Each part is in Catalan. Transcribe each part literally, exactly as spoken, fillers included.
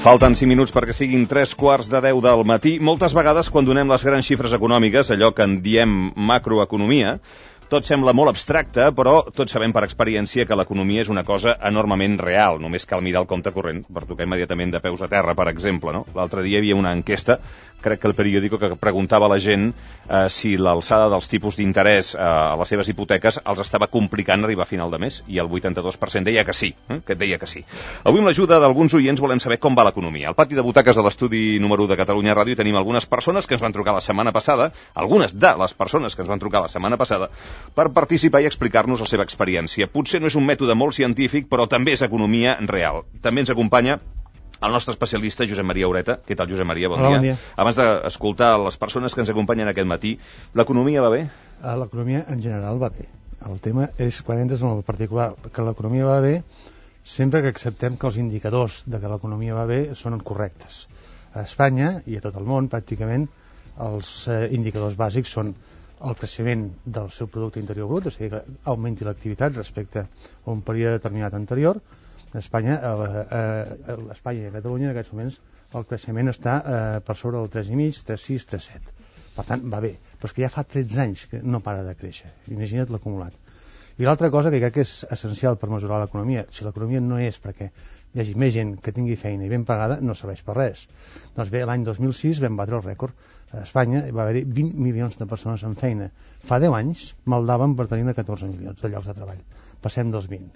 Falten cinc minuts perquè siguin tres quarts de deu del matí. Moltes vegades, quan donem les grans xifres econòmiques, allò que en diem macroeconomia, tot sembla molt abstracte, però tots sabem per experiència que l'economia és una cosa enormement real. Només cal mirar el compte corrent per tocar immediatament de peus a terra, per exemple, no? L'altre dia hi havia una enquesta, crec que el periòdico, que preguntava a la gent eh, si l'alçada dels tipus d'interès eh, a les seves hipoteques els estava complicant arribar a final de mes, i el vuitanta-dos per cent deia que sí, eh? que deia que sí. Avui, amb l'ajuda d'alguns oients, volem saber com va l'economia. Al pati de butaques de l'estudi número u de Catalunya Ràdio tenim algunes persones que ens van trucar la setmana passada, algunes de les persones que ens van trucar la setmana passada, per participar i explicar-nos la seva experiència. Potser no és un mètode molt científic, però també és economia real. També ens acompanya el nostre especialista, Josep Maria Ureta. Què tal, Josep Maria? Bon, Hola, dia. bon dia. Abans d'escoltar les persones que ens acompanyen aquest matí, l'economia va bé? L'economia en general va bé. El tema és, quan entres en el particular, que l'economia va bé sempre que acceptem que els indicadors de que l'economia va bé són correctes. A Espanya i a tot el món, pràcticament, els eh, indicadors bàsics són el creixement del seu producte interior brut, o sigui que augmenti l'activitat respecte a un període determinat anterior. A Espanya, a, a, a Espanya i a Catalunya en aquests moments el creixement està eh, per sobre del tres coma cinc, tres coma sis, tres coma set. Per tant, va bé, però és que ja fa tretze anys que no para de créixer. Imagina't l'acumulat. I l'altra cosa que crec que és essencial per mesurar l'economia, si l'economia no és perquè hi hagi més gent que tingui feina i ben pagada, no serveix per res. Doncs bé, l'any dos mil sis vam batre el rècord. A Espanya va haver-hi vint milions de persones en feina. Fa deu anys maldaven per tenir catorze milions de llocs de treball. Passem dels vint.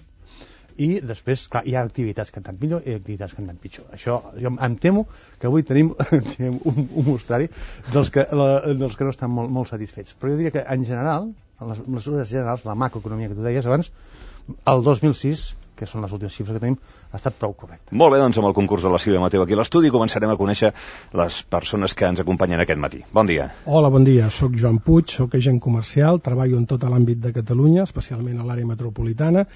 I després, clar, hi ha activitats que han anat millor i activitats que han anat pitjor. Això, jo em temo que avui tenim un, un mostrari dels que, la, dels que no estan molt, molt satisfets. Però jo diria que, en general, en les mesures generals, la macroeconomia que tu deies abans, el dos mil sis, que són les últimes xifres que tenim, ha estat prou correcte. Molt bé, doncs amb el concurs de la Sílvia Mateu aquí a l'estudi començarem a conèixer les persones que ens acompanyen aquest matí. Bon dia. Hola, bon dia. Soc Joan Puig, soc agent comercial, treballo en tot l'àmbit de Catalunya, especialment a l'àrea metropolitana.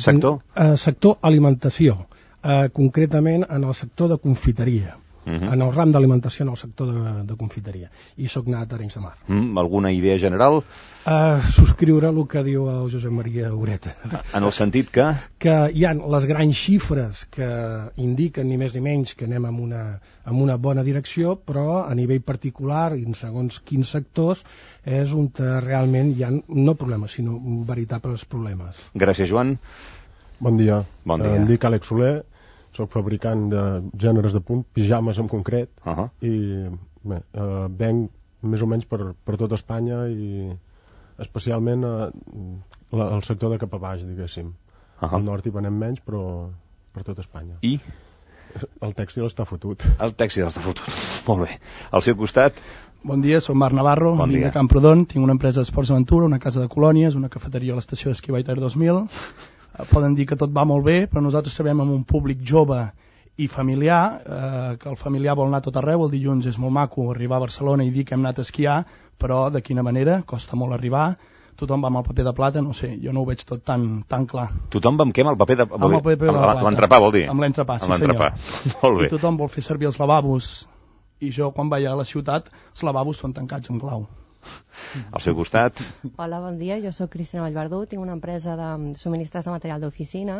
Sector? Eh, sector alimentació, eh, concretament en el sector de confiteria. Uh-huh. En el ram d'alimentació en el sector de, de confiteria. I soc nat a Arenys de Mar. Mm, alguna idea general? Uh, subscriure el que diu el Josep Maria Ureta. En el sentit que? Que hi ha les grans xifres que indiquen ni més ni menys que anem en una, en una bona direcció, però a nivell particular i en segons quins sectors és on realment hi ha no problemes, sinó veritables problemes. Gràcies, Joan. Bon dia. Bon dia. Em dic Àlex Soler, soc fabricant de gèneres de punt, pijames en concret, uh-huh. i bé, eh, venc més o menys per, per tot Espanya i especialment eh, la, el sector de cap a baix, diguéssim. Uh-huh. Al nord hi venem menys, però per tot Espanya. I? El tèxtil està fotut. El tèxtil està fotut. Molt bé. Al seu costat? Bon dia, soc Marc Navarro, bon vinc de Camprodon, tinc una empresa d'esports d'aventura, una casa de colònies, una cafeteria a l'estació d'esquí Baiter dos mil. Poden dir que tot va molt bé, però nosaltres treballem amb un públic jove i familiar, eh, que el familiar vol anar tot arreu. El dilluns és molt maco arribar a Barcelona i dir que hem anat a esquiar, però de quina manera? Costa molt arribar, tothom va amb el paper de plata, no sé, jo no ho veig tot tan, tan clar. Tothom va amb què? Amb el paper de, amb el paper de plata. L'entrepà, vol dir? Amb l'entrepà, sí senyor. Molt bé. I tothom vol fer servir els lavabos, i jo quan vaig a la ciutat, els lavabos són tancats amb clau. Al seu costat. Hola, bon dia, jo sóc Cristina Vallverdú, tinc una empresa de subministres de material d'oficina.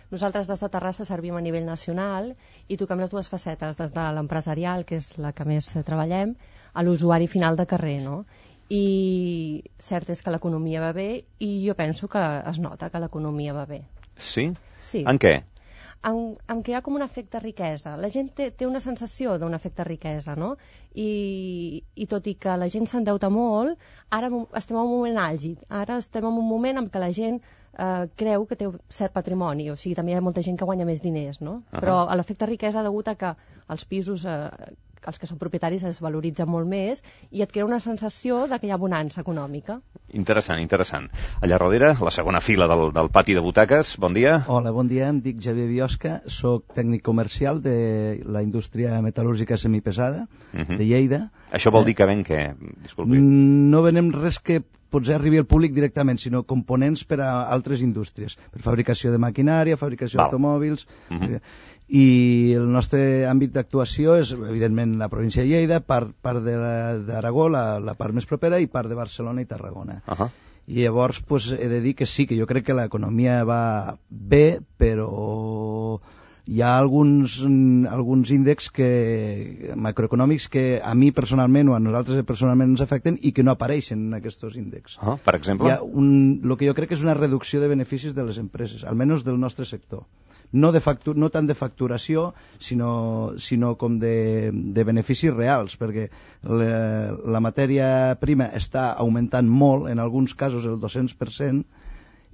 Nosaltres des de Terrassa servim a nivell nacional i toquem les dues facetes, des de l'empresarial, que és la que més treballem, a l'usuari final de carrer, no? I cert és que l'economia va bé i jo penso que es nota que l'economia va bé. Sí? Sí. En què? En, en què hi ha com un efecte riquesa. La gent té, té una sensació d'un efecte riquesa, no? I, i tot i que la gent s'endeuta molt, ara estem en un moment àlgid. Ara estem en un moment en què la gent eh, creu que té cert patrimoni, o sigui, també hi ha molta gent que guanya més diners, no? Uh-huh. Però l'efecte riquesa degut a que els pisos... Eh, els que són propietaris es valoritzen molt més i et crea una sensació de que hi ha bonança econòmica. Interessant, interessant. Allà darrere, la segona fila del, del pati de butaques, bon dia. Hola, bon dia, em dic Javier Biosca, soc tècnic comercial de la indústria metal·lúrgica semipesada uh-huh. de Lleida. Això vol dir que ven què? Disculpi. No venem res que potser arribi al públic directament, sinó components per a altres indústries, per fabricació de maquinària, fabricació d'automòbils... Uh-huh. I el nostre àmbit d'actuació és, evidentment, la província de Lleida, part, part d'Aragó, la, la part més propera, i part de Barcelona i Tarragona. Uh-huh. I llavors pues, he de dir que sí, que jo crec que l'economia va bé, però hi ha alguns, alguns índexs que, macroeconòmics que a mi personalment o a nosaltres personalment ens afecten i que no apareixen en aquests índexs. Ah, per exemple? Hi ha un, el que jo crec que és una reducció de beneficis de les empreses, almenys del nostre sector. No, de factu no tant de facturació, sinó, sinó com de, de beneficis reals, perquè la, la matèria prima està augmentant molt, en alguns casos el dos-cents per cent,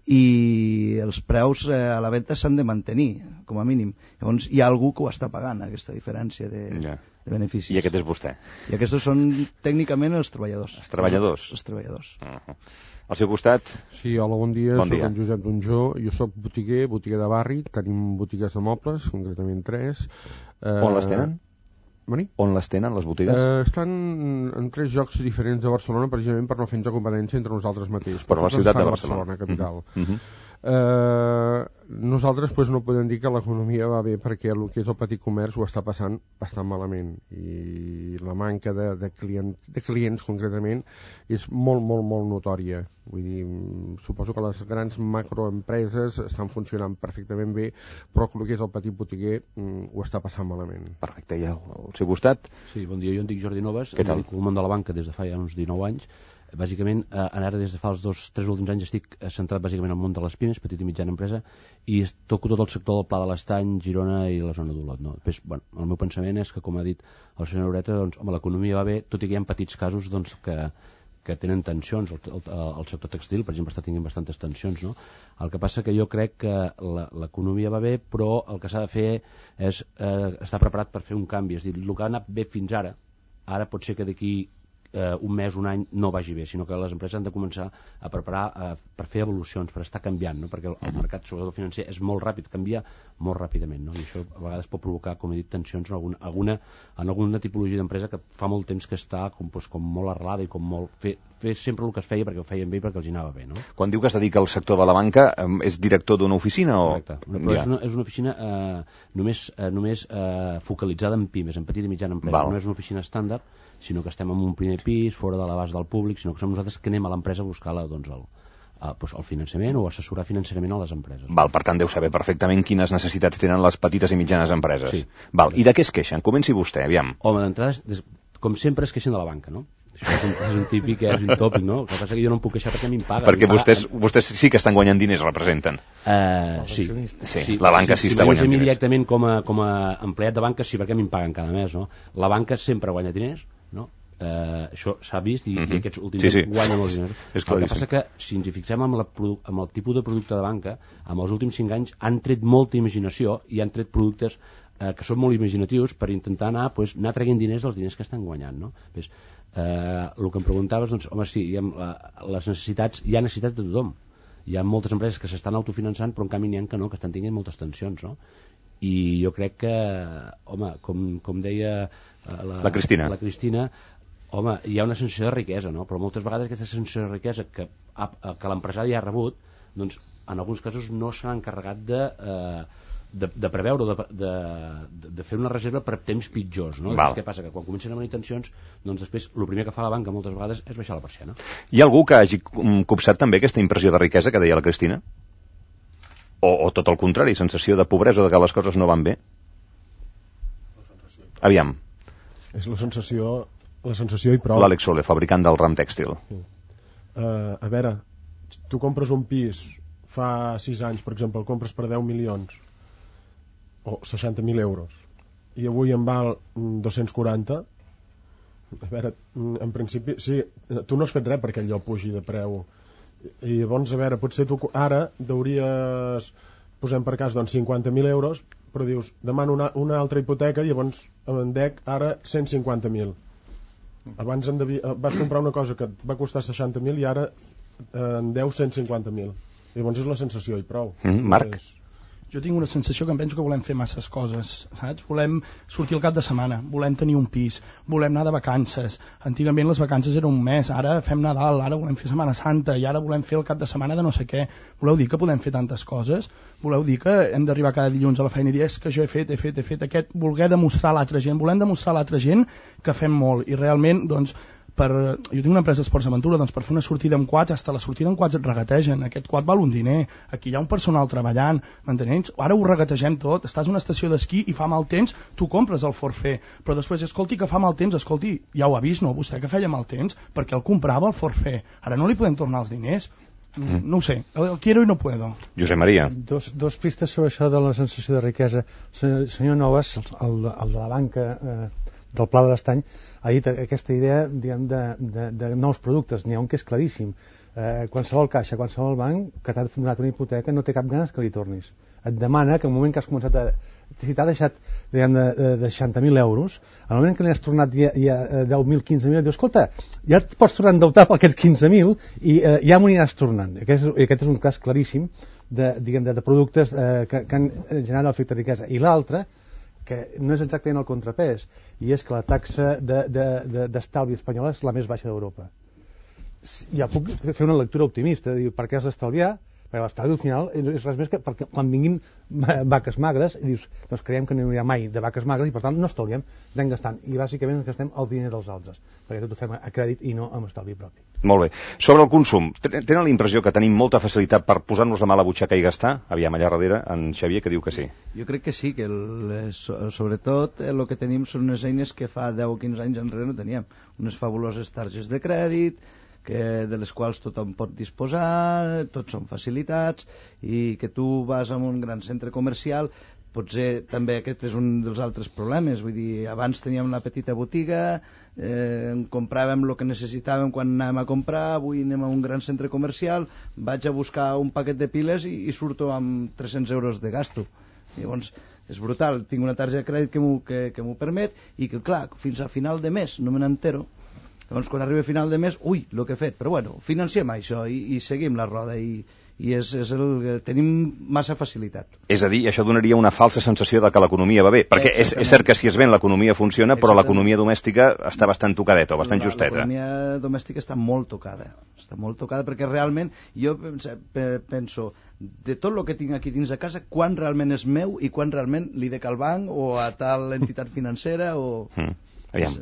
i els preus eh, a la venda s'han de mantenir, com a mínim. Llavors hi ha algú que ho està pagant, aquesta diferència de, yeah. de beneficis. I aquest és vostè? I aquests són tècnicament els treballadors. Els treballadors? Els, els treballadors. Uh -huh. Al seu costat? Sí, hola, bon dia, bon soc dia. en Josep Donjó, jo soc botiguer, botiguer de barri, tenim botigues de mobles, concretament tres. Eh, On les tenen? Mani? On les tenen, les botigues? Eh, estan en tres llocs diferents de Barcelona, precisament per no fer-nos competència entre nosaltres mateixos. Però la ciutat de Barcelona. Barcelona, capital. Uh -huh. Eh, nosaltres pues, no podem dir que l'economia va bé perquè el que és el petit comerç ho està passant bastant malament i la manca de, de, client, de clients concretament és molt, molt, molt notòria. Vull dir, suposo que les grans macroempreses estan funcionant perfectament bé, però el que és el petit botiguer mm, ho està passant malament. Perfecte, i al, al seu costat? Sí, bon dia, jo em dic Jordi Noves, em dedico al món de la banca des de fa ja uns dinou anys. Bàsicament, eh, ara des de fa els dos, tres últims anys estic centrat bàsicament al món de les pimes, petita i mitjana empresa, i toco tot el sector del Pla de l'Estany, Girona i la zona d'Olot. No? Després, bueno, el meu pensament és que, com ha dit el senyor Ureta, doncs, home, l'economia va bé, tot i que hi ha petits casos doncs, que, que tenen tensions. El, el, el sector textil, per exemple, està tenint bastantes tensions. No? El que passa que jo crec que l'economia va bé, però el que s'ha de fer és eh, estar preparat per fer un canvi. És a dir, el que ha anat bé fins ara, ara pot ser que d'aquí Uh, un mes, un any, no vagi bé, sinó que les empreses han de començar a preparar uh, per fer evolucions, per estar canviant, no? Perquè el, el mercat, sobretot financer, és molt ràpid, canvia molt ràpidament, no? I això a vegades pot provocar, com he dit, tensions en alguna, alguna, en alguna tipologia d'empresa que fa molt temps que està com, doncs, com molt arrelada i com molt... Fer, fer sempre el que es feia perquè ho feien bé i perquè els hi anava bé, no? Quan diu que es dedica al sector de la banca, um, és director d'una oficina o...? Correcte, però ja. és, una, és una oficina uh, només, uh, només uh, focalitzada en pimes, en petita i mitjana empresa. Val. No és una oficina estàndard, sinó que estem en un primer pis, fora de l'abast del públic, sinó que som nosaltres que anem a l'empresa a buscar la, doncs, el, a, doncs, el finançament o assessorar financerament a les empreses. Val, per tant, deu saber perfectament quines necessitats tenen les petites i mitjanes empreses. Sí. Val, i de què es queixen? Comenci vostè, aviam. Home, d'entrada, com sempre es queixen de la banca, no? Això és un, és un típic, és un tòpic, no? El que passa que jo no em puc queixar perquè a mi em paguen. Perquè vostès, vostès sí que estan guanyant diners, representen. Uh, sí. sí. Sí, la banca sí, sí està si guanyant diners. directament com a, com a empleat de banca, sí, perquè a mi em paguen cada mes, no? La banca sempre guanya diners, no? Uh, això s'ha vist i, uh -huh. i aquests últims sí, sí. guanyen molts diners. És el que passa que si ens hi fixem amb, la, amb el tipus de producte de banca, amb els últims cinc anys han tret molta imaginació i han tret productes uh, que són molt imaginatius per intentar anar, pues, anar traient diners dels diners que estan guanyant, no? Pues, uh, el que em preguntaves, doncs, home, sí, hi ha, uh, les necessitats, hi ha necessitats de tothom. Hi ha moltes empreses que s'estan autofinançant, però en canvi n'hi ha que no, que estan tenint moltes tensions, no? I jo crec que, home, com, com deia uh, la, la Cristina, la Cristina home, hi ha una sensació de riquesa, no? Però moltes vegades aquesta sensació de riquesa que, que l'empresari ha rebut, doncs en alguns casos no s'ha encarregat de, eh, de, de preveure, de, de, de fer una reserva per temps pitjors, no? Què passa? Que quan comencen a venir tensions, doncs després el primer que fa la banca moltes vegades és baixar la persiana. Hi ha algú que hagi copsat també aquesta impressió de riquesa que deia la Cristina? O, o tot el contrari, sensació de pobresa, de que les coses no van bé? Aviam. És la sensació... la sensació i prou. L'Àlex Soler, fabricant del ram tèxtil. Sí. Uh, a veure, tu compres un pis fa sis anys, per exemple, el compres per deu milions o seixanta mil euros i avui en val dos-cents quaranta. A veure, en principi sí, tu no has fet res perquè allò pugi de preu i llavors, a veure, potser tu ara deuries, posem per cas, doncs cinquanta mil euros, però dius, demano una, una altra hipoteca i llavors em dec ara cent cinquanta mil. Abans en devia, vas comprar una cosa que va costar seixanta mil i ara eh, en deu cent cinquanta mil. Llavors és la sensació i prou. Mm, Marc? És... Jo tinc una sensació que em penso que volem fer masses coses, saps? Volem sortir al cap de setmana, volem tenir un pis, volem anar de vacances. Antigament les vacances eren un mes, ara fem Nadal, ara volem fer Setmana Santa i ara volem fer el cap de setmana de no sé què. Voleu dir que podem fer tantes coses? Voleu dir que hem d'arribar cada dilluns a la feina i dir és que jo he fet, he fet, he fet aquest, voler demostrar a l'altra gent, volem demostrar a l'altra gent que fem molt i realment, doncs, per, jo tinc una empresa d'esports aventura, doncs per fer una sortida amb quads, hasta la sortida amb quads et regategen, aquest quad val un diner, aquí hi ha un personal treballant, m'entenents? Ara ho regategem tot, estàs en una estació d'esquí i fa mal temps, tu compres el forfait, però després, escolti, que fa mal temps, escolti, ja ho ha vist, no? Vostè que feia mal temps, perquè el comprava el forfait, ara no li podem tornar els diners. Mm. No ho sé, el quiero y no puedo. Josep Maria. Dos, dos pistes sobre això de la sensació de riquesa. Senyor, senyor Novas, el, el de la banca eh, del Pla de l'Estany, ha dit aquesta idea, diguem, de, de, de nous productes. N'hi ha un que és claríssim. Eh, qualsevol caixa, qualsevol banc que t'ha donat una hipoteca no té cap ganes que li tornis. Et demana que en el moment que has començat a... si t'ha deixat, diguem, de, de, de seixanta mil euros, al moment que li has tornat ja, ja deu mil, quinze mil, dius, escolta, ja et pots tornar a endeutar per aquests quinze mil i eh, ja m'ho aniràs tornant. Aquest és, aquest és un cas claríssim de, diguem, de, de productes eh, que, que han generat l'efecte de riquesa. I l'altre, que no és exactament el contrapès, i és que la taxa d'estalvi de, de, de, espanyola és la més baixa d'Europa. Ja puc fer una lectura optimista, dir, per què has d'estalviar? Perquè l'estalvi al final és res més que perquè quan vinguin vaques magres i dius, doncs creiem que no hi haurà mai de vaques magres i per tant no estalviem, anem gastant i bàsicament ens gastem el diner dels altres perquè tot ho fem a crèdit i no amb estalvi propi. Molt bé. Sobre el consum, tenen la impressió que tenim molta facilitat per posar-nos la mà a la butxaca i gastar? Aviam, allà darrere, en Xavier, que diu que sí. Jo crec que sí, que el, sobretot el que tenim són unes eines que fa deu o quinze anys enrere no teníem. Unes fabuloses targes de crèdit, que de les quals tothom pot disposar, tots són facilitats, i que tu vas a un gran centre comercial, potser també aquest és un dels altres problemes, vull dir, abans teníem una petita botiga, eh, compràvem el que necessitàvem quan anàvem a comprar, avui anem a un gran centre comercial, vaig a buscar un paquet de piles i, i surto amb tres-cents euros de gasto. Llavors, és brutal, tinc una targeta de crèdit que m'ho que, que m'ho permet, i que clar, fins a final de mes no me n'entero. Llavors, quan arriba a final de mes, ui, el que he fet, però bueno, financiem això i, i seguim la roda i, i és, és el, tenim massa facilitat. És a dir, això donaria una falsa sensació de que l'economia va bé, perquè és, és cert que si es ven l'economia funciona, però l'economia domèstica està bastant tocadeta o bastant justeta. L'economia domèstica està molt tocada, està molt tocada perquè realment jo penso, de tot el que tinc aquí dins de casa, quan realment és meu i quan realment li dec al banc o a tal entitat financera o... Mm. Aviam,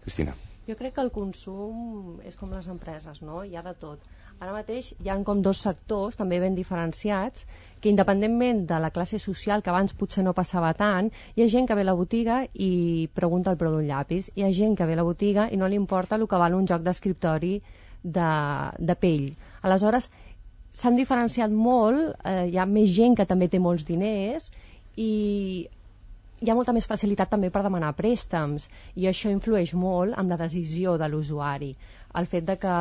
Cristina. Jo crec que el consum és com les empreses, no? Hi ha de tot. Ara mateix hi ha com dos sectors també ben diferenciats que independentment de la classe social, que abans potser no passava tant, hi ha gent que ve a la botiga i pregunta el preu d'un llapis, hi ha gent que ve a la botiga i no li importa el que val un joc d'escriptori de, de pell. Aleshores, s'han diferenciat molt, eh, hi ha més gent que també té molts diners i hi ha molta més facilitat també per demanar préstecs i això influeix molt en la decisió de l'usuari, el fet de que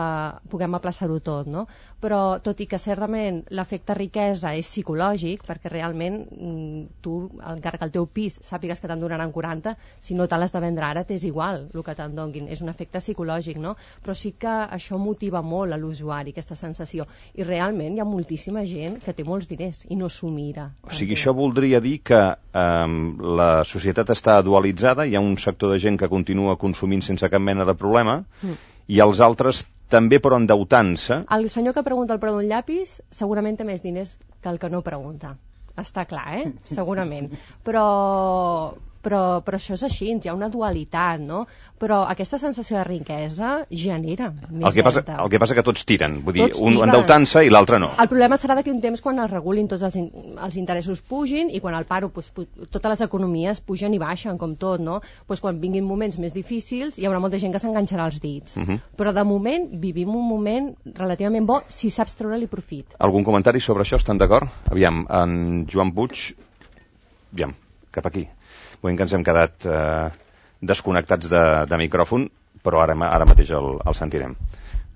puguem aplaçar-ho tot, no? Però tot i que certament l'efecte riquesa és psicològic, perquè realment tu, encara que el teu pis sàpigues que te'n donaran quaranta, si no te l'has de vendre ara t'és igual el que te'n donguin, és un efecte psicològic, no? Però sí que això motiva molt a l'usuari, aquesta sensació, i realment hi ha moltíssima gent que té molts diners i no s'ho mira. O sigui, això voldria dir que eh, la societat està dualitzada, hi ha un sector de gent que continua consumint sense cap mena de problema, mm. i els altres també però endeutant-se. El senyor que pregunta el preu d'un llapis segurament té més diners que el que no pregunta. Està clar, eh? Segurament. Però, però, però això és així, hi ha una dualitat, no? Però aquesta sensació de riquesa genera més el que passa, deute. El que passa que tots tiren, vull dir, tots un endeutant-se i l'altre no. El problema serà d'aquí un temps quan es regulin tots els, in, els interessos pugin i quan el paro, pues, pu totes les economies pugen i baixen, com tot, no? Pues quan vinguin moments més difícils hi haurà molta gent que s'enganxarà els dits. Uh -huh. Però de moment vivim un moment relativament bo si saps treure-li profit. Algun comentari sobre això? Estan d'acord? Aviam, en Joan Puig, aviam, cap aquí. Veiem que ens hem quedat eh, desconnectats de, de micròfon, però ara, ara mateix el, el sentirem.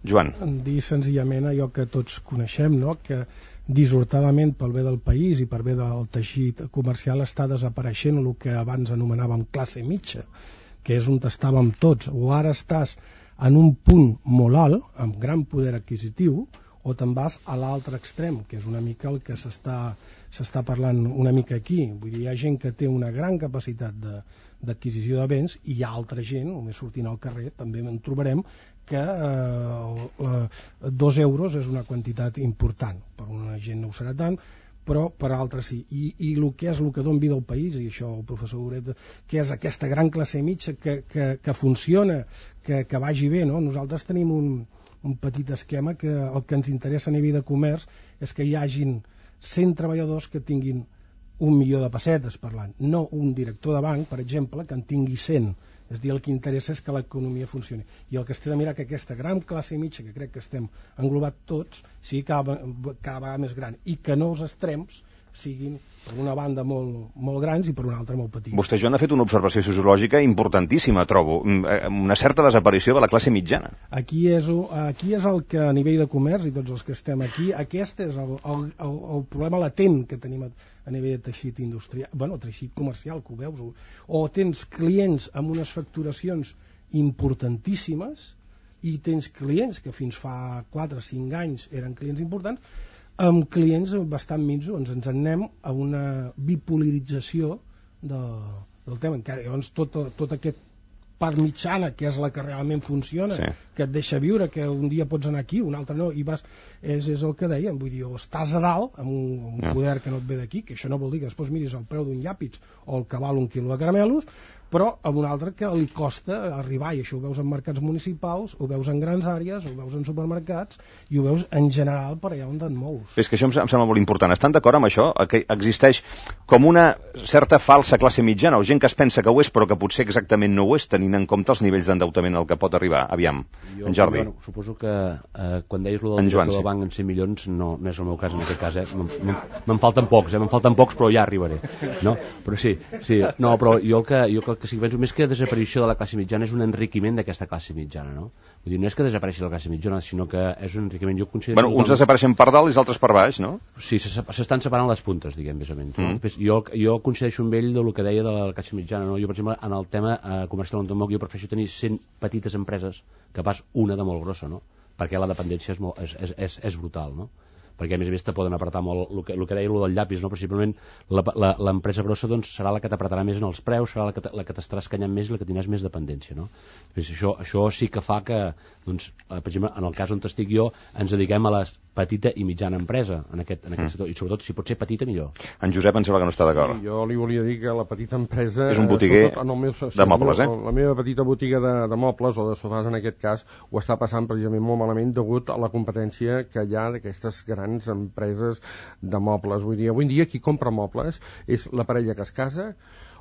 Joan. Dir senzillament allò que tots coneixem, no? Que dissortadament pel bé del país i per bé del teixit comercial està desapareixent el que abans anomenàvem classe mitja, que és on estàvem tots. O ara estàs en un punt molt alt, amb gran poder adquisitiu, o te'n vas a l'altre extrem, que és una mica el que s'està s'està parlant una mica aquí. Vull dir, hi ha gent que té una gran capacitat d'adquisició de, de béns i hi ha altra gent, només sortint al carrer, també en trobarem que eh, eh, dos euros és una quantitat important. Per una gent no ho serà tant, però per altres sí. I, i el que és el que dona vida al país, i això el professor Uret, que és aquesta gran classe mitja que, que, que funciona, que, que vagi bé, no? Nosaltres tenim un, un petit esquema que el que ens interessa a nivell de comerç és que hi hagin cent treballadors que tinguin un milió de pessetes per l'any, no un director de banc, per exemple, que en tingui cent. És a dir, el que interessa és que l'economia funcioni. I el que es té de mirar que aquesta gran classe mitja, que crec que estem englobat tots, sigui cada, cada vegada més gran, i que no els extrems siguin per una banda molt, molt grans i per una altra molt petits. Vostè, Joan, ha fet una observació sociològica importantíssima, trobo. Una certa desaparició de la classe mitjana. Aquí és, aquí és el que a nivell de comerç, i tots els que estem aquí, aquest és el, el, el, el problema latent que tenim a, a nivell de teixit industrial, bueno, teixit comercial, que ho veus, o tens clients amb unes facturacions importantíssimes i tens clients que fins fa quatre o cinc anys eren clients importants, amb clients bastant minsos, ens ens anem a una bipolarització de, del tema. Llavors tot, tot aquest part mitjana, que és la que realment funciona, sí, que et deixa viure, que un dia pots anar aquí, un altre no, i vas, és, és el que deien, vull dir, o estàs a dalt amb un, un poder que no et ve d'aquí, que això no vol dir que després miris el preu d'un llàpid o el que val un quilo de caramelos, però amb un altre que li costa arribar, i això ho veus en mercats municipals, ho veus en grans àrees, ho veus en supermercats, i ho veus en general per allà on et mous. És que això em sembla molt important. Estan d'acord amb això? Que existeix com una certa falsa classe mitjana, o gent que es pensa que ho és, però que potser exactament no ho és, tenint en compte els nivells d'endeutament al que pot arribar. Aviam, jo, en Jordi. Jo, suposo que eh, quan deies lo del Joan, director sí, del banc en cent milions, no, no és el meu cas en aquest cas, eh? Me'n falten pocs, eh? Me'n falten pocs, però ja arribaré. No? Però sí, sí. No, però jo el que, jo el que sí que penso més que desaparició de la classe mitjana és un enriquiment d'aquesta classe mitjana, no? Vull dir, no és que desapareixi la classe mitjana, sinó que és un enriquiment. Jo considero... Bueno, uns desapareixen per dalt i els altres per baix, no? Sí, s'estan separant les puntes, diguem, més o menys. No? Mm. Jo, jo coincideixo amb ell del que deia de la classe mitjana, no? Jo, per exemple, en el tema eh, comercial on jo prefereixo tenir cent petites empreses que pas una de molt grossa, no? Perquè la dependència és, molt, és, és, és, és brutal, no? Perquè a més a més te poden apretar molt el que, el que deia el del llapis, no? Possiblement l'empresa grossa doncs, serà la que t'apretarà més en els preus, serà la que, la que t'estarà escanyant més i la que tindràs més dependència, no? Doncs això, això sí que fa que, doncs, per exemple, en el cas on estic jo, ens dediquem a la petita i mitjana empresa en aquest, en aquest mm. sector, i sobretot si pot ser petita millor. En Josep em sembla que no està d'acord. Jo li volia dir que la petita empresa és un botiguer en el meu, sí, de mobles, eh? La meva petita botiga de, de mobles o de sofàs en aquest cas ho està passant precisament molt malament degut a la competència que hi ha d'aquestes grans empreses de mobles. Vull dir, avui en dia qui compra mobles és la parella que es casa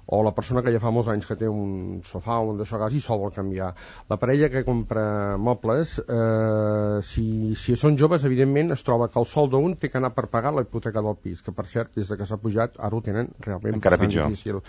o la persona que ja fa molts anys que té un sofà o un d'això a casa i sol vol canviar. La parella que compra mobles, eh, si, si són joves, evidentment es troba que el sou d'un té que anar per pagar la hipoteca del pis, que per cert, des de que s'ha pujat, ara ho tenen realment encara pitjor. Difícil.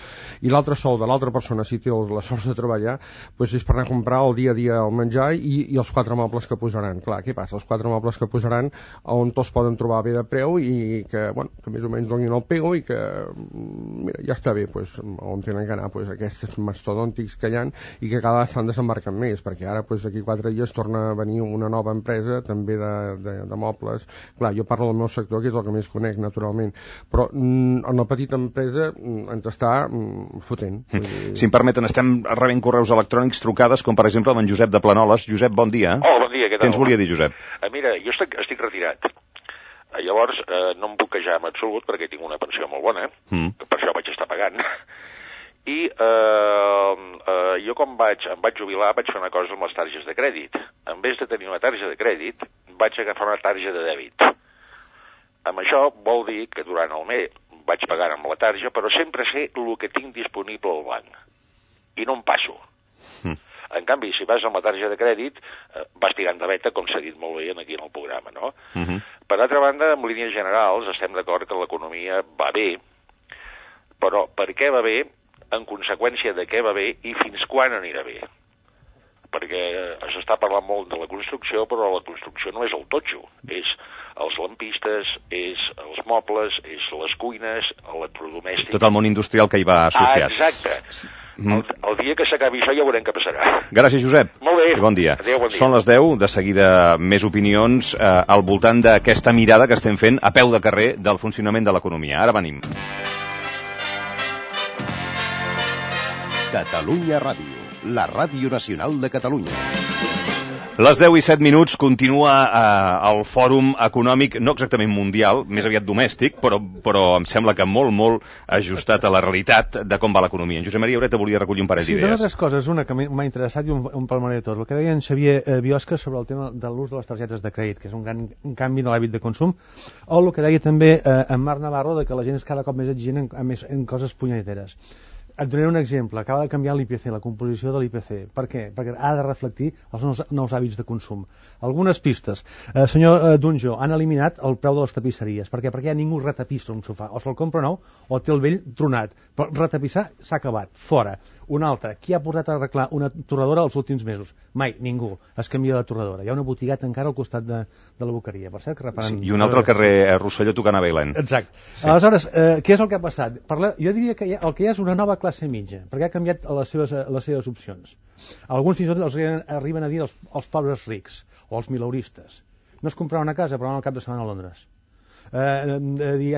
I l'altre sou de l'altra persona, si té la sort de treballar, doncs és per anar a comprar el dia a dia el menjar i, i els quatre mobles que posaran. Clar, què passa? Els quatre mobles que posaran on tots poden trobar bé de preu i que, bueno, que més o menys donin el pego i que, mira, ja està bé, doncs, on tenen que anar pues, aquests mastodòntics que hi ha i que cada vegada estan desembarcant més, perquè ara pues, d'aquí quatre dies torna a venir una nova empresa també de, de, de mobles. Clar, jo parlo del meu sector, que és el que més conec, naturalment, però mm, en la petita empresa mm, ens està mm, fotent. Mm. Si em permeten, estem rebent correus electrònics, trucades, com per exemple amb en Josep de Planoles. Josep, bon dia. Hola, bon dia, què tal? Què ens volia dir, Josep? Uh, mira, jo estic, estic retirat. Uh, llavors, uh, no em puc queixar en absolut perquè tinc una pensió molt bona, mm. que per això vaig estar pagant. I eh, eh, jo quan vaig, em vaig jubilar vaig fer una cosa amb les targes de crèdit. En vez de tenir una tarja de crèdit, vaig agafar una tarja de dèbit. Amb això vol dir que durant el mes vaig pagant amb la tarja, però sempre sé el que tinc disponible al banc. I no em passo. Mm. En canvi, si vas amb la tarja de crèdit, eh, vas tirant de veta, com s'ha dit molt bé aquí en el programa, no? Mm-hmm. Per altra banda, en línies generals, estem d'acord que l'economia va bé, però per què va bé? En conseqüència de què va bé i fins quan anirà bé. Perquè s'està parlant molt de la construcció, però la construcció no és el totxo, és els lampistes, és els mobles, és les cuines, electrodomèstics... Tot el món industrial que hi va associat. Ah, exacte. Mm. El, el dia que s'acabi això ja veurem què passarà. Gràcies, Josep. Molt bé. I bon dia. Adéu, bon dia. Són les deu, de seguida més opinions eh, al voltant d'aquesta mirada que estem fent a peu de carrer del funcionament de l'economia. Ara venim. Catalunya Ràdio, la ràdio nacional de Catalunya. Les deu i set minuts continua eh, el fòrum econòmic, no exactament mundial, més aviat domèstic, però, però em sembla que molt, molt ajustat a la realitat de com va l'economia. En Josep Maria Ureta volia recollir un parell sí, d'idees. Sí, dues coses. Una que m'ha interessat i un, un palmarès de tot. El que deia en Xavier eh, Biosca sobre el tema de l'ús de les targetes de crèdit, que és un gran un canvi de l'hàbit de consum, o el que deia també eh, en Marc Navarro, de que la gent és cada cop més exigent en, en, en coses punyeteres. Et donaré un exemple. Acaba de canviar l'I P C, la composició de l'I P C. Per què? Perquè ha de reflectir els nous, nous hàbits de consum. Algunes pistes. Eh, senyor eh, Dunjo, han eliminat el preu de les tapisseries. Per què? Perquè ja ningú retapissa un sofà. O se'l compra nou o té el vell tronat. Però retapissar s'ha acabat. Fora. Una altra. Qui ha portat a arreglar una torradora els últims mesos? Mai. Ningú. Es canvia de torradora. Hi ha una botigueta encara al costat de, de la boqueria. Per cert, que reparen... Sí, i un altre al carrer eh, Rosselló tocant a Bailen. Exacte. Sí. Aleshores, eh, què és el que ha passat? Parla... Jo diria que hi ha, el que hi ha és una nova classe mitja, perquè ha canviat les seves, les seves opcions. Alguns fins i tot els arriben a dir els, els pobres rics o els mileuristes. No es compraven una casa, però van al cap de setmana a Londres. Eh,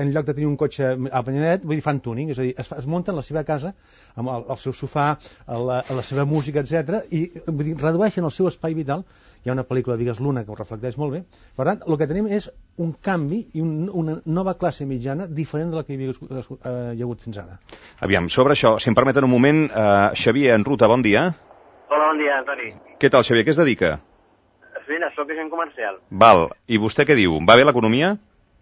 en lloc de tenir un cotxe a Panyanet, vull dir, fan tuning, és a dir, es, es munten la seva casa amb el, el seu sofà, la, la seva música, etcètera, i vull dir, redueixen el seu espai vital. Hi ha una pel·lícula, digues, Luna, que ho reflecteix molt bé. Per tant, el que tenim és un canvi i un, una nova classe mitjana diferent de la que hi havia, eh, hi ha hagut fins ara. Aviam, sobre això, si em permeten un moment, eh, Xavier en Ruta, bon dia. Hola, bon dia, Antoni. Què tal, Xavier? Què es dedica? Mira, soc agent comercial. Val, i vostè què diu? Va bé l'economia?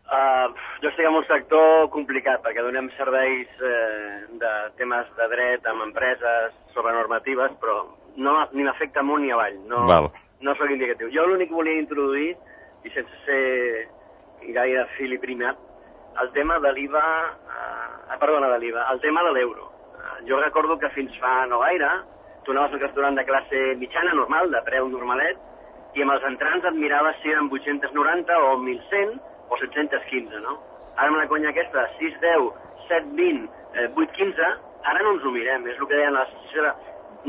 Uh, jo estic en un sector complicat perquè donem serveis eh, de temes de dret amb empreses sobre normatives, però no, ni m'afecta amunt ni avall, no, no sóc indicatiu. Jo l'únic que volia introduir, i sense ser gaire fil i primat, el tema de l'I V A, uh, perdona, de l'I V A, el tema de l'euro. Uh, jo recordo que fins fa no gaire, tu anaves a un restaurant de classe mitjana, normal, de preu normalet, i amb els entrants et miraves si eren vuit-cents noranta o mil cent, o set-cents quinze, no? Ara amb la conya aquesta, sis deu, set vint, eh, vuit quinze, ara no ens ho mirem, és el que deien la sensació de,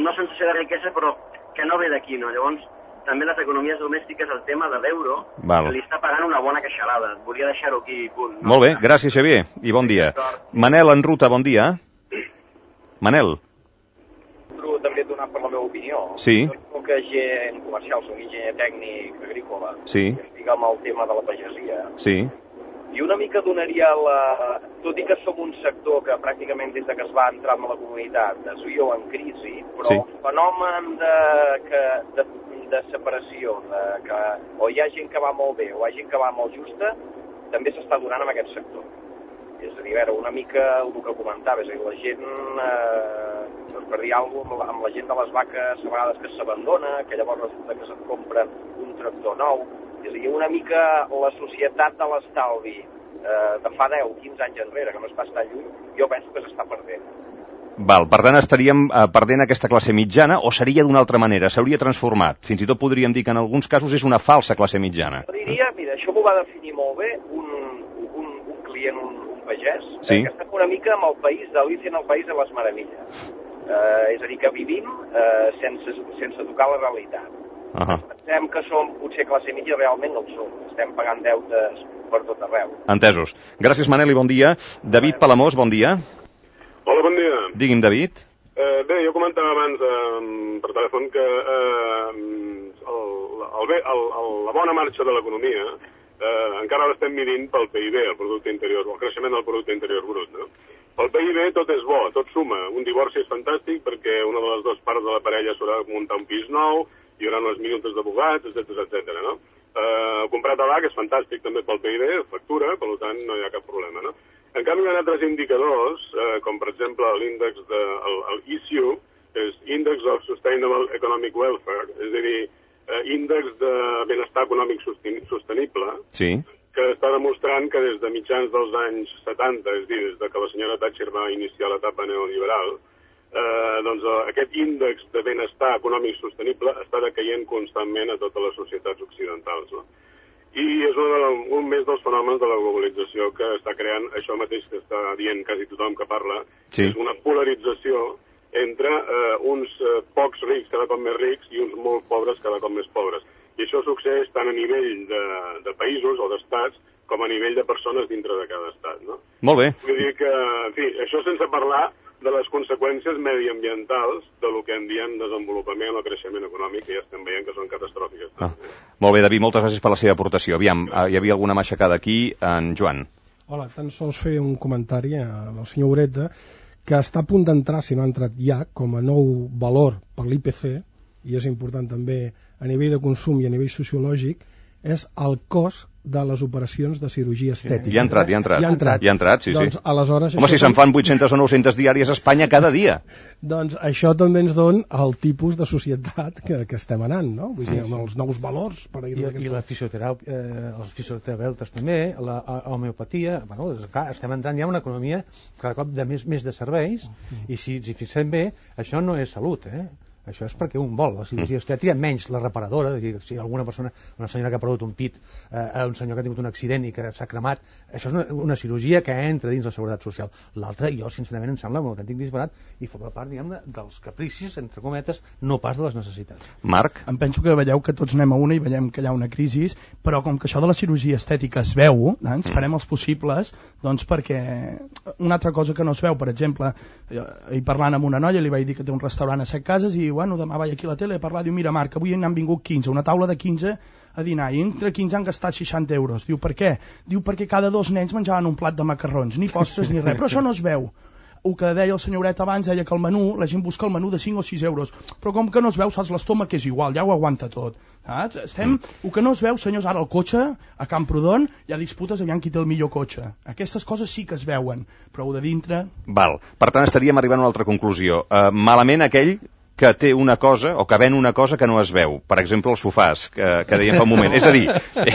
no sensació de riquesa, però que no ve d'aquí, no? Llavors, també les economies domèstiques, el tema de l'euro, que li està pagant una bona queixalada. Volia deixar-ho aquí, punt. No? Molt bé, gràcies, Xavier, i bon dia. Manel en Ruta, bon dia. Manel. També et donar per la meva opinió. Sí. Jo soc agent comercial, soc enginyer tècnic agrícola. Sí. I estic amb el tema de la pagesia. Sí. I una mica donaria la... Tot i que som un sector que pràcticament des de que es va entrar en la comunitat es viu en crisi, però sí. El fenomen de, que, de, de separació, de que o hi ha gent que va molt bé o hi ha gent que va molt justa, també s'està donant en aquest sector. És a dir, a veure, una mica el que comentava, és a dir, la gent, eh, per dir alguna cosa, amb la gent de les vaques a vegades que s'abandona, que llavors resulta que se'n compren un tractor nou, és a dir, una mica la societat de l'estalvi eh, de fa deu, quinze anys enrere, que no es va estar lluny, jo penso que s'està perdent. Val, per tant estaríem eh, perdent aquesta classe mitjana o seria d'una altra manera, s'hauria transformat? Fins i tot podríem dir que en alguns casos és una falsa classe mitjana. Jo diria, mira, això m'ho va definir molt bé un, un, un client, un pagès, sí. eh, que estem una mica amb el país d'Alicia en el País de les Meravelles. Eh, és a dir, que vivim eh, sense, sense tocar la realitat. Uh -huh. Pensem que som potser classe mitja, realment no ho som. Estem pagant deutes per tot arreu. Entesos. Gràcies, Manel, i bon dia. David Palamós, bon dia. Hola, bon dia. Digui'm, David. Eh, bé, jo comentava abans eh, per telèfon que eh, el, el, el, el, la bona marxa de l'economia eh, encara l'estem midint pel P I B, el Producte Interior, el creixement del Producte Interior Brut, no? Pel P I B tot és bo, tot suma. Un divorci és fantàstic perquè una de les dues parts de la parella s'haurà de muntar un pis nou, hi haurà unes minutes d'abogats, etcètera, etcètera, no? Eh, comprar tabac és fantàstic també pel P I B, factura, per tant no hi ha cap problema, no? En canvi hi ha altres indicadors, eh, com per exemple l'índex de, el, el I S U, és Index of Sustainable Economic Welfare, és a dir, eh, índex de benestar econòmic sostenible, sí. Que està demostrant que des de mitjans dels anys setanta, és a dir, des de que la senyora Thatcher va iniciar l'etapa neoliberal, eh, doncs aquest índex de benestar econòmic sostenible està decaient constantment a totes les societats occidentals, no? I és un, un més dels fenòmens de la globalització que està creant això mateix que està dient quasi tothom que parla, sí. És una polarització entre eh, uns eh, pocs rics cada cop més rics i uns molt pobres cada cop més pobres. I això succeeix tant a nivell de, de països o d'estats com a nivell de persones dintre de cada estat, no? Molt bé. Vull dir que, en fi, això sense parlar de les conseqüències mediambientals de lo que en diem desenvolupament o creixement econòmic, que ja estem veient que són catastròfiques. Ah. Molt bé, David, moltes gràcies per la seva aportació. Aviam, hi havia alguna matxacada aquí, en Joan. Hola, tan sols fer un comentari al senyor Ureta, que està a punt d'entrar, si no ha entrat ja, com a nou valor per l'I P C, i és important també a nivell de consum i a nivell sociològic, és el cost de les operacions de cirurgia estètica. Ja ha entrat, ja ha entrat. Ja ha entrat, ja ha entrat sí, doncs, sí. Aleshores, home, si se'n fan vuit-centes o nou-centes diàries a Espanya cada dia. Doncs això també ens dona el tipus de societat que, que estem anant, no? Vull dir, amb els nous valors. Per I, i la fisioteràpia, eh, els fisioterapeutes també, la homeopatia, bueno, clar, estem entrant ja en una economia cada cop de més, més de serveis, i si ens hi fixem bé, això no és salut, eh? Això és perquè un vol, la cirurgia estètica, menys la reparadora, és a dir, si alguna persona, una senyora que ha perdut un pit, eh, un senyor que ha tingut un accident i que s'ha cremat, això és una, una cirurgia que entra dins la seguretat social. L'altra, jo sincerament em sembla un autèntic disbarat i forma part, diguem, dels capricis, entre cometes, no pas de les necessitats. Marc? Em penso que veieu que tots anem a una i veiem que hi ha una crisi, però com que això de la cirurgia estètica es veu, eh, ens farem els possibles, doncs perquè una altra cosa que no es veu, per exemple, i parlant amb una noia li vaig dir que té un restaurant a Set Cases i bueno, demà vaig aquí a la tele a parlar, diu, mira Marc, avui n'han vingut quinze, una taula de quinze a dinar, i entre quinze han gastat seixanta euros. Diu, per què? Diu, perquè cada dos nens menjaven un plat de macarrons, ni postres ni res, però això no es veu. El que deia el senyoret abans, deia que el menú, la gent busca el menú de cinc o sis euros, però com que no es veu, saps, l'estómac és igual, ja ho aguanta tot. Saps? Estem, el que no es veu, senyors, ara el cotxe, a Camprodon, hi ha disputes aviam qui té el millor cotxe. Aquestes coses sí que es veuen, però de dintre... Val, per tant estaríem arribant a una altra conclusió. Uh, malament aquell que té una cosa, o que ven una cosa que no es veu. Per exemple, els sofàs, que, que dèiem fa un moment. És a dir, eh,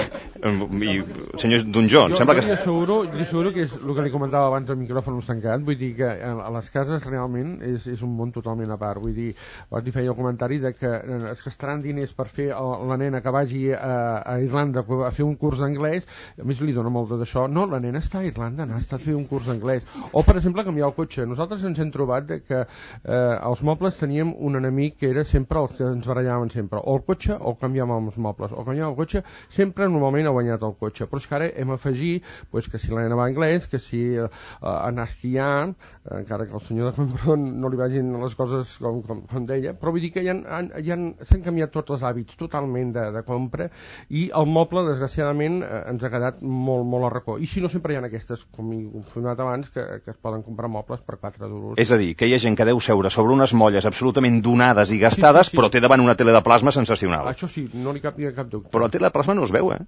i, senyor Donjó, em sembla que... Jo li asseguro, li asseguro que és el que li comentava abans el micròfon tancat, vull dir que a les cases realment és, és un món totalment a part. Vull dir, abans li feia el comentari de que es gastaran diners per fer la nena que vagi a, a Irlanda a fer un curs d'anglès, a més li dona molt d'això. No, la nena està a Irlanda, n'ha estat a fer un curs d'anglès. O, per exemple, canviar el cotxe. Nosaltres ens hem trobat de que eh, als mobles teníem un un enemic que era sempre el que ens barallaven sempre, o el cotxe o canviàvem els mobles, o canviàvem el cotxe, sempre normalment ha guanyat el cotxe, però és que ara hem afegit pues, que si la nena va a anglès, que si uh, anar esquiant, uh, encara que el senyor de Camprodon no li vagin les coses com, com, com deia, però vull dir que ja, han, ja han, s'han canviat tots els hàbits totalment de, de compra i el moble desgraciadament uh, ens ha quedat molt, molt a racó, i si no sempre hi ha aquestes, com he confirmat abans, que, que es poden comprar mobles per quatre duros. És a dir, que hi ha gent que deu seure sobre unes molles absolutament donades i gastades, sí, sí, sí. Però té davant una tele de plasma sensacional. Això sí, no li cap, cap dubte. Però la tele de plasma no es veu, eh?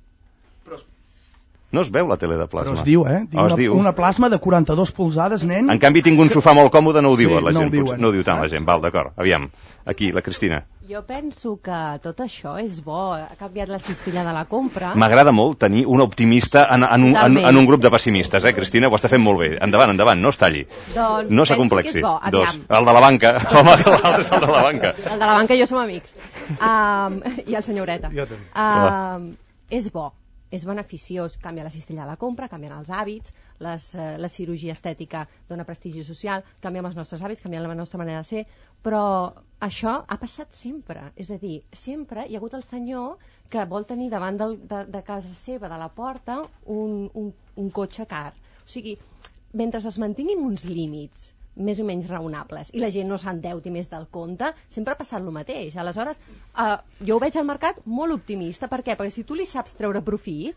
Però... No es veu la tele de plasma. Però es diu, eh? Diu oh, una, diu. Una plasma de quaranta-dos polzades, nen. En canvi, tinc un sofà molt còmode, no ho diuen, sí, la gent. No ho, diuen. No ho diu tant la gent. Val, d'acord. Aviam, aquí, la Cristina. Jo penso que tot això és bo. Ha canviat la cistella de la compra. M'agrada molt tenir un optimista en, en, un, en, en un grup de pessimistes, eh, Cristina? Ho està fent molt bé. Endavant, endavant, no es talli. Doncs no s'acomplexi. Dos. El de la banca. Home, que l'altre és el de la banca. El de la banca i jo som amics. Um, I el senyoreta. Jo també. Um, és bo. És beneficiós, canvia la cistella de la compra, canvien els hàbits, les, eh, la cirurgia estètica dona prestigi social, canviem els nostres hàbits, canviem la nostra manera de ser, però això ha passat sempre. És a dir, sempre hi ha hagut el senyor que vol tenir davant del, de, de casa seva, de la porta, un, un, un cotxe car. O sigui, mentre es mantinguin uns límits més o menys raonables i la gent no s'endeuti més del compte, sempre ha passat el mateix. Aleshores, eh, jo ho veig al mercat molt optimista. Per què? Perquè si tu li saps treure profit,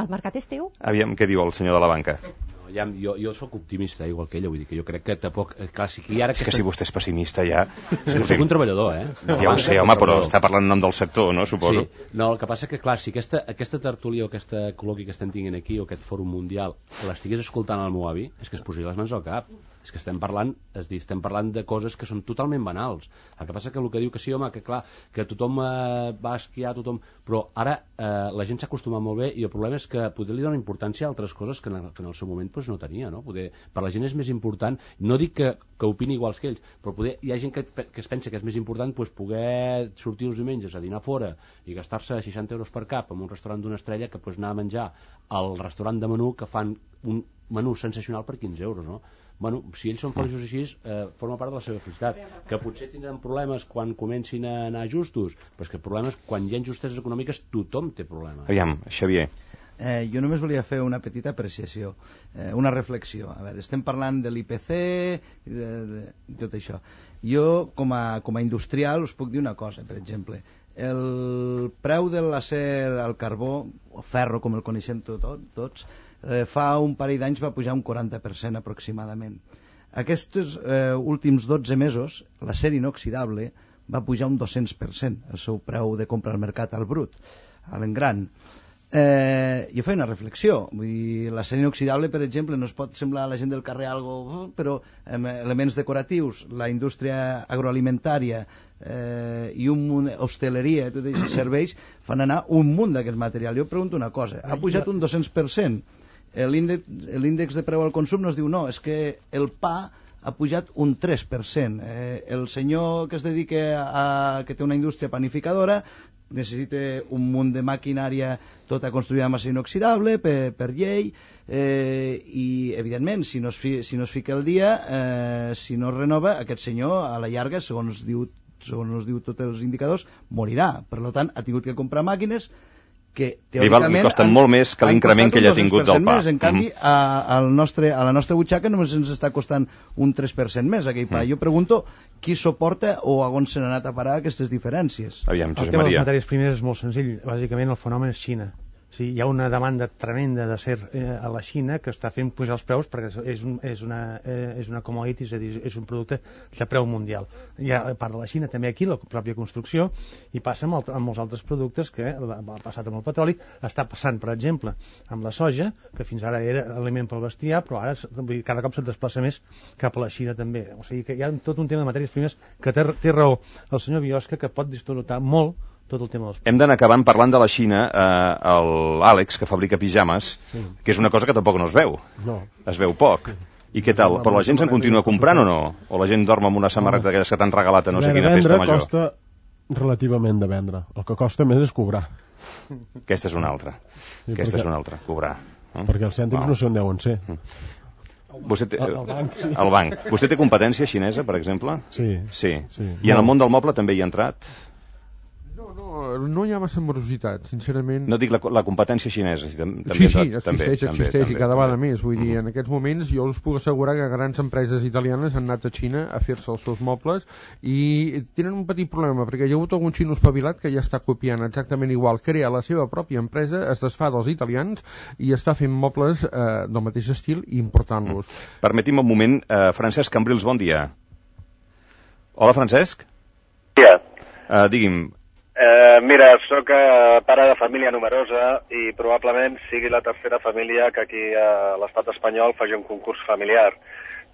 el mercat és teu. Aviam què diu el senyor de la banca. No, ja, jo, jo sóc optimista, igual que ella, vull dir que jo crec que tampoc... Clar, sí que ara és que aquesta... si vostè és pessimista ja... Sí, soc un treballador, eh? No, ja ho sé, home, però està parlant en nom del sector, no, suposo? Sí. No, el que passa que, clar, si aquesta, aquesta tertúlia o aquesta col·loqui que estem tinguent aquí, o aquest fòrum mundial, l'estigués escoltant al meu avi, és que es posaria les mans al cap. És que estem parlant, és dir, estem parlant de coses que són totalment banals. El que passa que el que diu que sí, home, que clar, que tothom eh, va esquiar, tothom... Però ara eh, la gent s'ha acostumat molt bé i el problema és que poder li dona importància a altres coses que en el, que en el seu moment pues, no tenia, no? Poder, per la gent és més important, no dic que, que opini iguals que ells, però poder, hi ha gent que, que es pensa que és més important pues, poder sortir els diumenges a dinar fora i gastar-se seixanta euros per cap en un restaurant d'una estrella que pues, anar a menjar al restaurant de menú que fan un menú sensacional per quinze euros, no? Bueno, si ells són feliços així, eh, forma part de la seva felicitat. Que potser tindran problemes quan comencin a anar justos, però és que problemes, quan hi ha injustes econòmiques, tothom té problemes. Aviam, Xavier. Eh, jo només volia fer una petita apreciació, eh, una reflexió. A veure, estem parlant de l'I P C, de, de, de tot això. Jo, com a, com a industrial, us puc dir una cosa, per exemple. El preu de l'acer al carbó, o ferro, com el coneixem tot, tots, eh, fa un parell d'anys va pujar un quaranta per cent aproximadament. Aquests eh, últims dotze mesos, l'acer inoxidable va pujar un dos-cents per cent, el seu preu de compra al mercat al brut, a l'engran. Eh, jo feia una reflexió, vull dir, l'acer inoxidable, per exemple, no es pot semblar a la gent del carrer algo, però eh, elements decoratius, la indústria agroalimentària eh, i un munt, hostaleria, tots aquests serveis, fan anar un munt d'aquest material. Jo pregunto una cosa, ha pujat un dos-cents per cent, l'índex de preu al consum no es diu no, és que el pa ha pujat un tres per cent. Eh, el senyor que es dedica a, que té una indústria panificadora necessita un munt de maquinària tota construïda amb acer inoxidable per, per llei eh, i evidentment si no, es fi, si no es fica el dia eh, si no es renova aquest senyor a la llarga segons diu, segons diu tots els indicadors morirà, per tant ha tingut que comprar màquines que teòricament li costen han, molt més que l'increment que ell ha tingut del pa. Més. En canvi, mm. a, al nostre, a la nostra butxaca només ens està costant un tres per cent més aquell pa. Mm. Jo pregunto qui suporta o a on s'han anat a parar aquestes diferències. Aviam, Josep el tema Maria. de les matèries primeres és molt senzill. Bàsicament el fenomen és Xina. Sí, hi ha una demanda tremenda d'acer eh, a la Xina que està fent pujar els preus perquè és, un, és, una, eh, és una commodity, és a dir, és un producte de preu mundial. Hi ha a part de la Xina també aquí, la pròpia construcció, i passa amb, el, amb molts altres productes que ha passat amb el petroli, està passant, per exemple, amb la soja, que fins ara era aliment pel bestiar, però ara cada cop se't desplaça més cap a la Xina també. O sigui que hi ha tot un tema de matèries primeres que té, té raó el senyor Biosca, que pot distorsionar molt tot el tema dels... Hem d'anar acabant parlant de la Xina, eh, l'Àlex, que fabrica pijames, sí. que és una cosa que tampoc no es veu. No. Es veu poc. I què tal? Però la gent se'n continua comprant o no? O la gent dorm amb una samarreta d'aquelles que t'han regalat a no sé quina festa major? Costa relativament de vendre. El que costa més és cobrar. Aquesta és una altra. Sí, Aquesta perquè, és una altra, cobrar. Eh? Perquè els cèntims no sé on deuen ser. Vostè té, el, el, banc, sí. el banc. Vostè té competència xinesa, per exemple? Sí. Sí. sí. I en el món del moble també hi ha entrat? No, no hi ha massa morositat, sincerament. No dic la, la competència xinesa. Si també, sí, sí, també, existeix, també, existeix també, i cada vegada també. més. Vull dir, en aquests moments jo us puc assegurar que grans empreses italianes han anat a Xina a fer-se els seus mobles i tenen un petit problema, perquè hi ha hagut algun xino espavilat que ja està copiant exactament igual, crea la seva pròpia empresa, es desfà dels italians i està fent mobles eh, del mateix estil i important-los. Mm. Permeti'm un moment, eh, Francesc Cambrils, bon dia. Hola, Francesc. Dia. Uh, digui'm, Eh, mira, sóc eh, pare de família numerosa i probablement sigui la tercera família que aquí a l'estat espanyol faci un concurs familiar.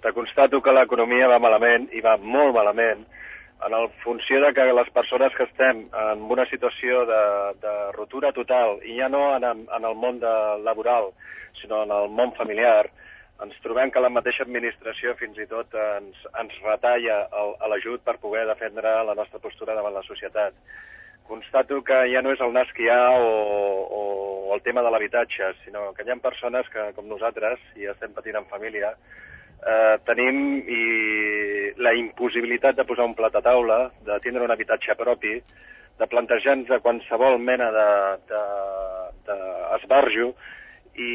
Te constato que l'economia va malament, i va molt malament, en el funció de que les persones que estem en una situació de, de ruptura total, i ja no en, en el món de, laboral, sinó en el món familiar, ens trobem que la mateixa administració fins i tot ens, ens retalla l'ajut per poder defendre la nostra postura davant la societat. Constato que ja no és el nas que hi ha o, o el tema de l'habitatge, sinó que hi ha persones que, com nosaltres, i estem patint en família, eh, tenim i la impossibilitat de posar un plat a taula, de tindre un habitatge propi, de plantejar-nos de qualsevol mena d'esbarjo, i,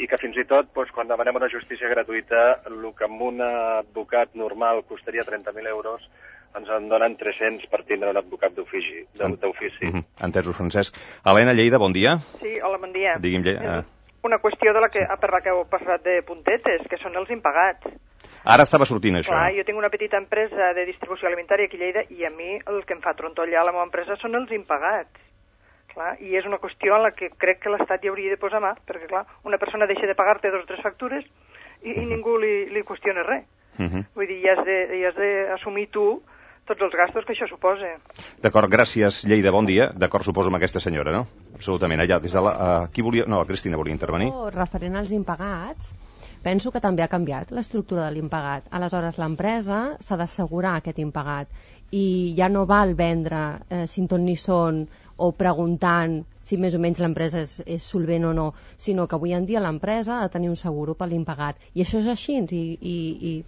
i que fins i tot, doncs, quan demanem una justícia gratuïta, el que amb un advocat normal costaria trenta mil euros, ens en donen tres-cents per tindre un advocat d'ofici. Mm -hmm. Entesos, Francesc. Helena Lleida, bon dia. Sí, hola, bon dia. Digui'm, Lleida. Una qüestió de la que, per la que heu parlat de puntetes, que són els impagats. Ara estava sortint això. Clar, jo tinc una petita empresa de distribució alimentària aquí a Lleida i a mi el que em fa trontollar a la meva empresa són els impagats. Clar, i és una qüestió en la que crec que l'Estat hi hauria de posar mà, perquè clar, una persona deixa de pagar-te dos o tres factures i, i ningú li, li qüestiona res. Uh -huh. Vull dir, ja has de, ja has d'assumir tu tots els gastos que això suposa. D'acord, gràcies, Lleida, bon dia. D'acord, suposo amb aquesta senyora, no? Absolutament. Allà, des de la... Uh, qui volia... No, la Cristina volia intervenir. Oh, referent als impagats, penso que també ha canviat l'estructura de l'impagat. Aleshores, l'empresa s'ha d'assegurar aquest impagat i ja no val vendre eh, sin ton ni son o preguntant si més o menys l'empresa és, és solvent o no, sinó que avui en dia l'empresa ha de tenir un seguro per l'impagat. I això és així, i, i,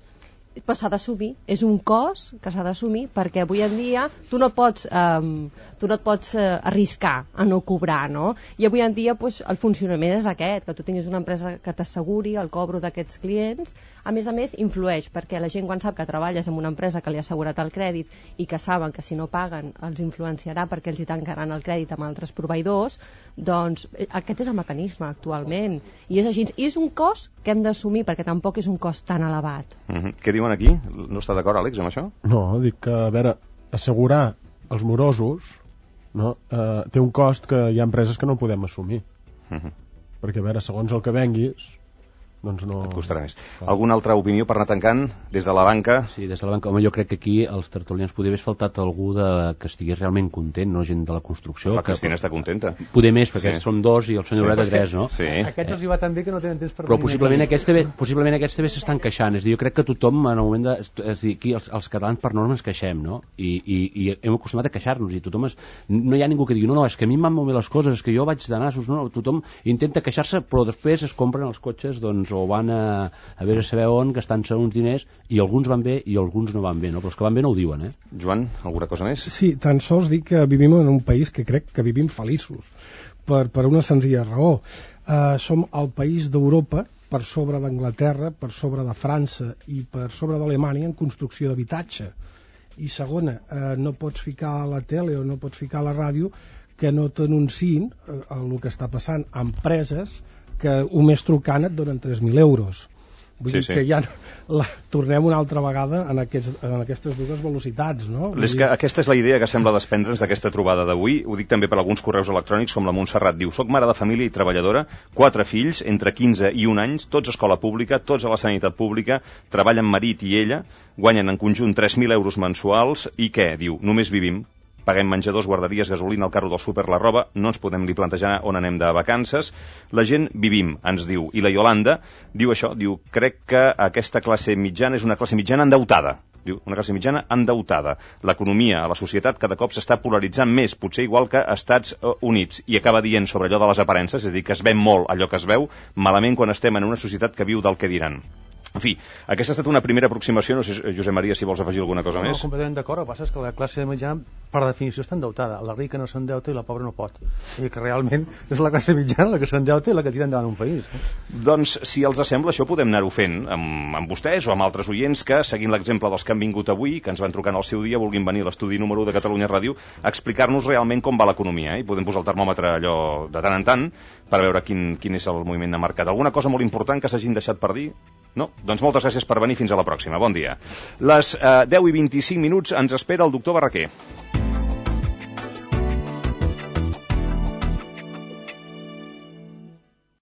i però s'ha d'assumir, és un cost que s'ha d'assumir, perquè avui en dia tu no pots, um, tu no et pots uh, arriscar a no cobrar, no? I avui en dia pues, el funcionament és aquest, que tu tinguis una empresa que t'asseguri el cobro d'aquests clients. A més a més, influeix, perquè la gent quan sap que treballes en una empresa que li ha assegurat el crèdit i que saben que si no paguen els influenciarà perquè els hi tancaran el crèdit amb altres proveïdors, doncs aquest és el mecanisme actualment. I és així. I és un cost que hem d'assumir, perquè tampoc és un cost tan elevat. Mm-hmm. Què diuen aquí? No està d'acord, Àlex, amb això? No, dic que, a veure, assegurar els morosos, no, eh, té un cost que hi ha empreses que no podem assumir. Mm-hmm. Perquè, a veure, segons el que venguis, doncs no... Et costarà més. Clar. Alguna altra opinió per anar tancant des de la banca? Sí, des de la banca. Home, jo crec que aquí els tertulians podria haver faltat algú de... que estigués realment content, no gent de la construcció. La que... Cristina està contenta. Poder més, perquè sí. som dos i el senyor Lloret sí, tres, no? Sí. Aquests els hi va tan bé que no tenen temps per... Però possiblement aquests, també, possiblement aquests també s'estan queixant. És a dir, jo crec que tothom, en el moment de... És dir, aquí els, els catalans per norma ens queixem, no? I, i, i hem acostumat a queixar-nos i tothom es... No hi ha ningú que digui, no, no, és que a mi em van molt bé les coses, és que jo vaig de nassos, no, no, tothom intenta queixar-se, però després es compren els cotxes, doncs, o van a a veure a saber on, gastant-se uns diners, i alguns van bé i alguns no van bé, no? Però els que van bé no ho diuen, eh? Joan, alguna cosa més? Sí, tan sols dic que vivim en un país que crec que vivim feliços, per, per una senzilla raó. Uh, som el país d'Europa, per sobre d'Anglaterra, per sobre de França i per sobre d'Alemanya en construcció d'habitatge. I segona, uh, no pots ficar a la tele o no pots ficar a la ràdio que no t'anunciïn uh, el que està passant a empreses que un mes trucant et donen tres mil euros. Vull sí, dir sí. que ja la, tornem una altra vegada en, aquests, en aquestes dues velocitats, no? És que aquesta és la idea que sembla desprendre'ns d'aquesta trobada d'avui. Ho dic també per alguns correus electrònics, com la Montserrat diu: soc mare de família i treballadora, quatre fills, entre quinze i un anys, tots a escola pública, tots a la sanitat pública, treballen marit i ella, guanyen en conjunt tres mil euros mensuals, i què? Diu, només vivim. Paguem menjadors, guarderies, gasolina, el carro del súper, la roba, no ens podem ni plantejar on anem de vacances. La gent vivim, ens diu. I la Iolanda diu això, diu, crec que aquesta classe mitjana és una classe mitjana endeutada. Diu, una classe mitjana endeutada. L'economia a la societat cada cop s'està polaritzant més, potser igual que Estats Units. I acaba dient sobre allò de les aparences, és a dir, que es veu molt allò que es veu, malament quan estem en una societat que viu del que diran. En fi, aquesta ha estat una primera aproximació. No sé, Josep Maria, si vols afegir alguna cosa no, més. No, completament d'acord. El que passa és que la classe mitjana, per definició, està endeutada. La rica no s'endeuta i la pobra no pot. I que realment és la classe mitjana la que s'endeuta i la que tira endavant un país. Doncs, si els sembla, això podem anar-ho fent amb, amb vostès o amb altres oients que, seguint l'exemple dels que han vingut avui, que ens van trucar en el seu dia, vulguin venir a l'estudi número u de Catalunya Ràdio a explicar-nos realment com va l'economia. Eh? I podem posar el termòmetre allò de tant en tant per veure quin, quin és el moviment de mercat. Alguna cosa molt important que s'hagin deixat per dir? No? Doncs moltes gràcies per venir, fins a la pròxima. Bon dia. Les eh, deu i vint-i-cinc minuts ens espera el doctor Barraquer.